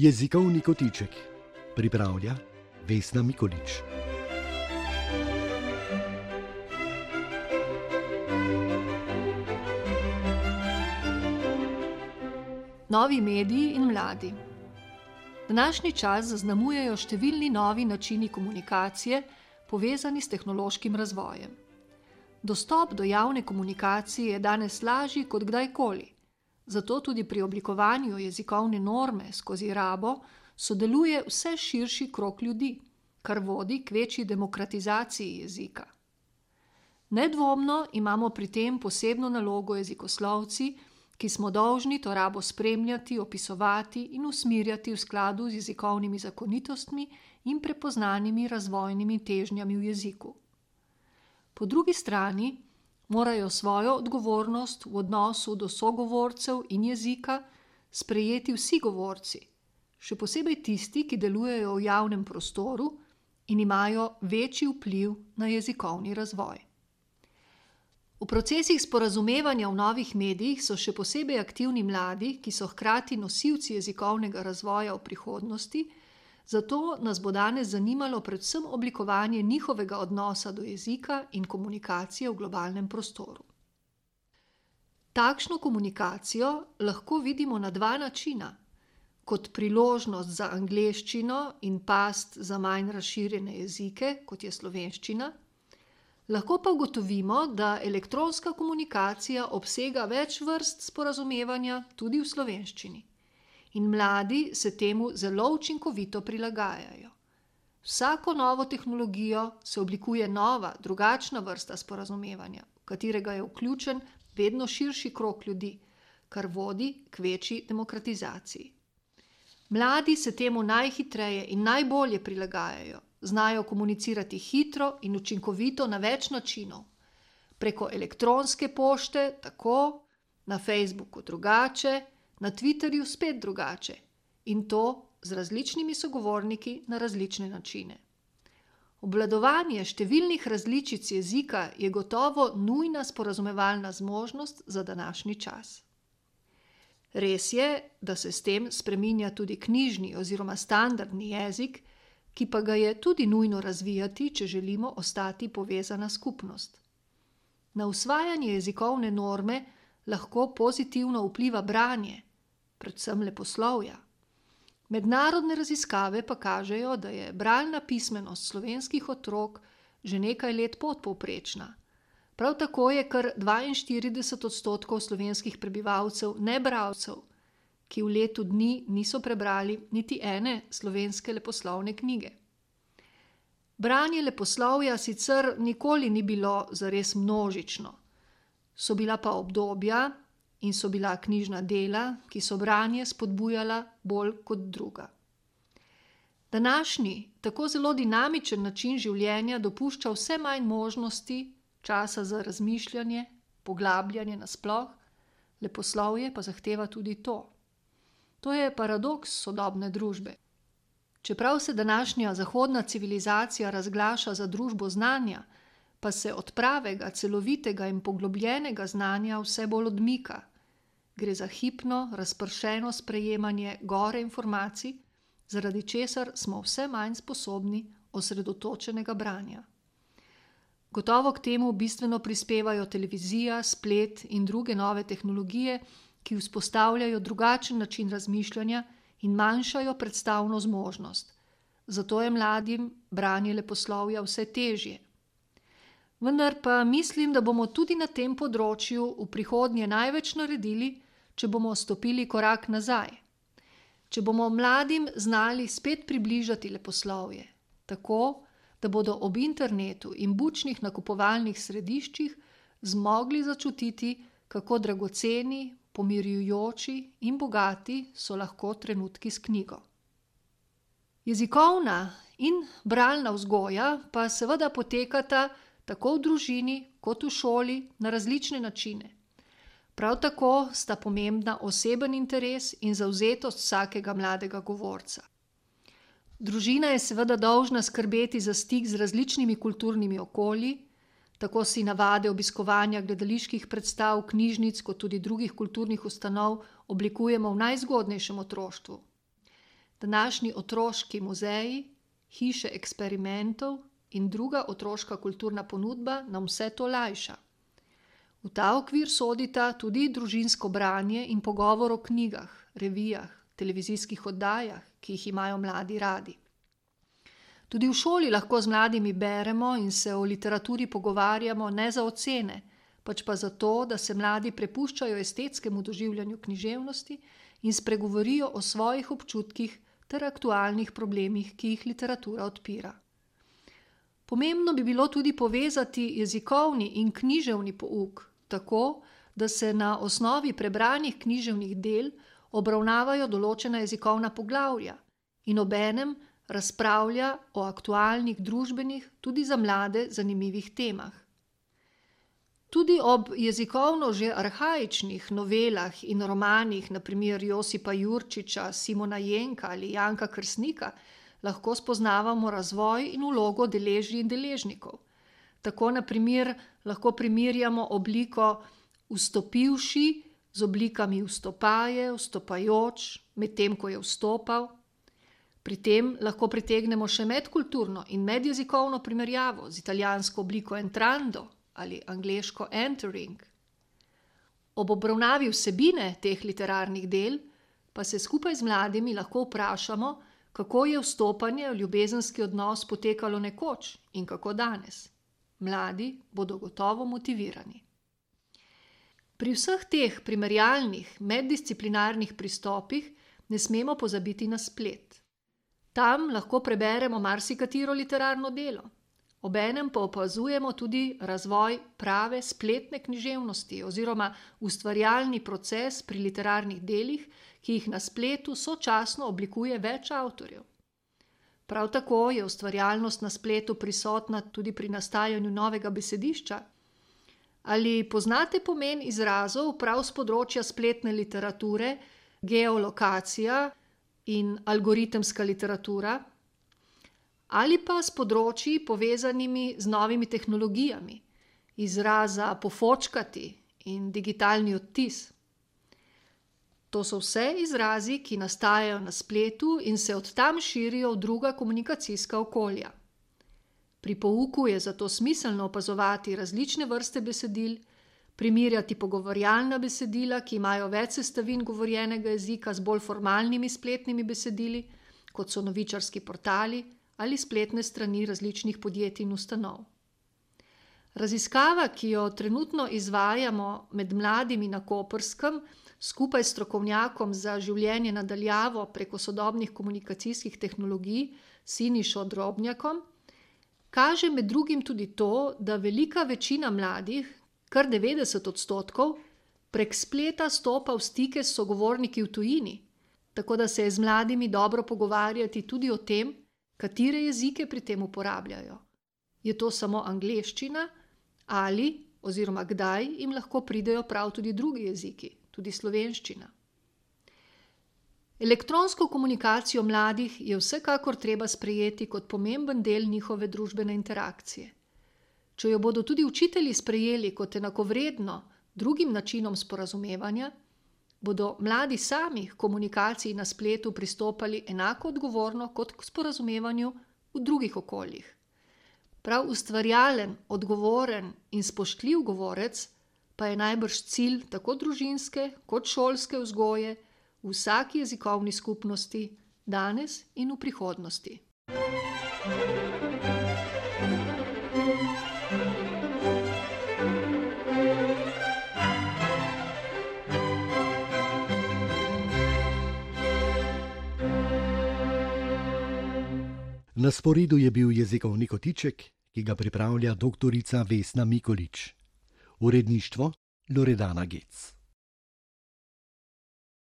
Jezikovni kotiček pripravlja Vesna Mikolič. Novi mediji in mladi. Današnji čas zaznamujejo številni novi načini komunikacije, povezani s tehnološkim razvojem. Dostop do javne komunikacije je danes lažji kot kdajkoli, zato tudi pri oblikovanju jezikovne norme skozi rabo sodeluje vse širši krog ljudi, kar vodi k večji demokratizaciji jezika. Nedvomno imamo pri tem posebno nalogo jezikoslovci, ki smo dolžni to rabo spremljati, opisovati in usmerjati v skladu z jezikovnimi zakonitostmi in prepoznanimi razvojnimi težnjami v jeziku. Po drugi strani morajo svojo odgovornost v odnosu do sogovorcev in jezika sprejeti vsi govorci, še posebej tisti, ki delujejo v javnem prostoru in imajo večji vpliv na jezikovni razvoj. V procesih sporazumevanja v novih medijih so še posebej aktivni mladi, ki so hkrati nosilci jezikovnega razvoja v prihodnosti, zato nas bo danes zanimalo predvsem oblikovanje njihovega odnosa do jezika in komunikacije v globalnem prostoru. Takšno komunikacijo lahko vidimo na dva načina, kot priložnost za angleščino in past za manj razširjene jezike, kot je slovenščina. Lahko pa ugotovimo, da elektronska komunikacija obsega več vrst sporazumevanja tudi v slovenščini. In mladi se temu zelo učinkovito prilagajajo. Vsako novo tehnologijo se oblikuje nova, drugačna vrsta sporazumevanja, v katerega je vključen vedno širši krog ljudi, kar vodi k večji demokratizaciji. Mladi se temu najhitreje in najbolje prilagajajo. Znajo komunicirati hitro in učinkovito na več načinov. Preko elektronske pošte tako, na Facebooku drugače, na Twitterju spet drugače in to z različnimi sogovorniki na različne načine. Obvladovanje številnih različic jezika je gotovo nujna sporazumevalna zmožnost za današnji čas. Res je, da se s tem spreminja tudi knjižni oziroma standardni jezik, ki pa ga je tudi nujno razvijati, če želimo ostati povezana skupnost. Na usvajanje jezikovne norme lahko pozitivno vpliva branje, predvsem leposlovja. Mednarodne raziskave pa kažejo, da je bralna pismenost slovenskih otrok že nekaj let podpovprečna. Prav tako je kar 42% slovenskih prebivalcev nebralcev, ki v letu dni niso prebrali niti ene slovenske leposlovne knjige. Branje leposlovja sicer nikoli ni bilo zares množično. So bila pa obdobja in so bila knjižna dela, ki so branje spodbujala bolj kot druga. Današnji, tako zelo dinamičen način življenja dopušča vse manj možnosti, časa za razmišljanje, poglabljanje nasploh, leposlovje pa zahteva tudi to. To je paradoks sodobne družbe. Čeprav se današnja zahodna civilizacija razglaša za družbo znanja, pa se od pravega, celovitega in poglobljenega znanja vse bolj odmika. Gre za hipno, razpršeno sprejemanje gore informacij, zaradi česar smo vse manj sposobni osredotočenega branja. Gotovo k temu bistveno prispevajo televizija, splet in druge nove tehnologije, ki vzpostavljajo drugačen način razmišljanja in manjšajo predstavno zmožnost. Zato je mladim branje leposlovja vse težje. Vendar pa mislim, da bomo tudi na tem področju v prihodnje največ naredili, če bomo stopili korak nazaj. Če bomo mladim znali spet približati leposlovje, tako, da bodo ob internetu in bučnih nakupovalnih središčih zmogli začutiti, kako dragoceni, pomirjujoči in bogati so lahko trenutki s knjigo. Jezikovna in bralna vzgoja pa seveda potekata tako v družini kot v šoli na različne načine. Prav tako sta pomembna oseben interes in zavzetost vsakega mladega govorca. Družina je seveda dolžna skrbeti za stik z različnimi kulturnimi okolji, tako si navade obiskovanja gledaliških predstav, knjižnic kot tudi drugih kulturnih ustanov oblikujemo v najzgodnejšem otroštvu. današnji otroški muzeji, hiše eksperimentov in druga otroška kulturna ponudba nam vse to lajša. V ta okvir sodita tudi družinsko branje in pogovor o knjigah, revijah, televizijskih oddajah, ki jih imajo mladi radi. Tudi v šoli lahko z mladimi beremo in se o literaturi pogovarjamo ne za ocene, pač pa zato, da se mladi prepuščajo estetskemu doživljanju književnosti in spregovorijo o svojih občutkih ter aktualnih problemih, ki jih literatura odpira. Pomembno bi bilo tudi povezati jezikovni in književni pouk, tako, da se na osnovi prebranih književnih del obravnavajo določena jezikovna poglavja in obenem razpravlja o aktualnih družbenih, tudi za mlade, zanimivih temah. Tudi ob jezikovno že arhaičnih novelah in romanih, na primer Josipa Jurčiča, Simona Jenka ali Janka Krsnika, lahko spoznavamo razvoj in vlogo deležij in deležnikov. Tako, na primer, lahko primerjamo obliko vstopivši z oblikami vstopaje, vstopajoč, medtem ko je vstopal. Pri tem lahko pritegnemo še medkulturno in medjezikovno primerjavo z italijansko obliko entrando ali angleško entering. Ob obravnavi vsebine teh literarnih del pa se skupaj z mladimi lahko vprašamo, kako je vstopanje v ljubezenski odnos potekalo nekoč in kako danes. Mladi bodo gotovo motivirani. Pri vseh teh primerjalnih, meddisciplinarnih pristopih ne smemo pozabiti na splet. Tam lahko preberemo marsikatero literarno delo. Obenem pa opazujemo tudi razvoj prave spletne književnosti oziroma ustvarjalni proces pri literarnih delih, ki jih na spletu sočasno oblikuje več avtorjev. Prav tako je ustvarjalnost na spletu prisotna tudi pri nastajanju novega besedišča. Ali poznate pomen izrazov prav s področja spletne literature, geolokacija in algoritemska literatura? Ali pa s področji povezanimi z novimi tehnologijami, izraza pofočkati in digitalni odtis. To so vse izrazi, ki nastajajo na spletu in se od tam širijo v druga komunikacijska okolja. Pri pouku je zato smiselno opazovati različne vrste besedil, primerjati pogovarjalna besedila, ki imajo več sestavin govorjenega jezika z bolj formalnimi spletnimi besedili, kot so novičarski portali ali spletne strani različnih podjetij in ustanov. Raziskava, ki jo trenutno izvajamo med mladimi na Koprskem, skupaj s strokovnjakom za življenje na daljavo preko sodobnih komunikacijskih tehnologij Sinišo Drobnjakom, kaže med drugim tudi to, da velika večina mladih, kar 90%, prek spleta stopa v stike s sogovorniki v tujini, tako da se je z mladimi dobro pogovarjati tudi o tem, katere jezike pri tem uporabljajo. Je to samo angleščina ali oziroma kdaj jim lahko pridejo prav tudi drugi jeziki, tudi slovenščina. Elektronsko komunikacijo mladih je vsekakor treba sprejeti kot pomemben del njihove družbene interakcije. Če jo bodo tudi učitelji sprejeli kot enakovredno drugim načinom sporazumevanja, bodo mladi sami k komunikaciji na spletu pristopali enako odgovorno kot k sporazumevanju v drugih okoljih. Prav ustvarjalen, odgovoren in spoštljiv govorec pa je najbrž cilj tako družinske kot šolske vzgoje v vsaki jezikovni skupnosti, danes in v prihodnosti. Na sporedu je bil jezikovni kotiček, ki ga pripravlja doktorica Vesna Mikolič. Uredništvo Loredana Gec.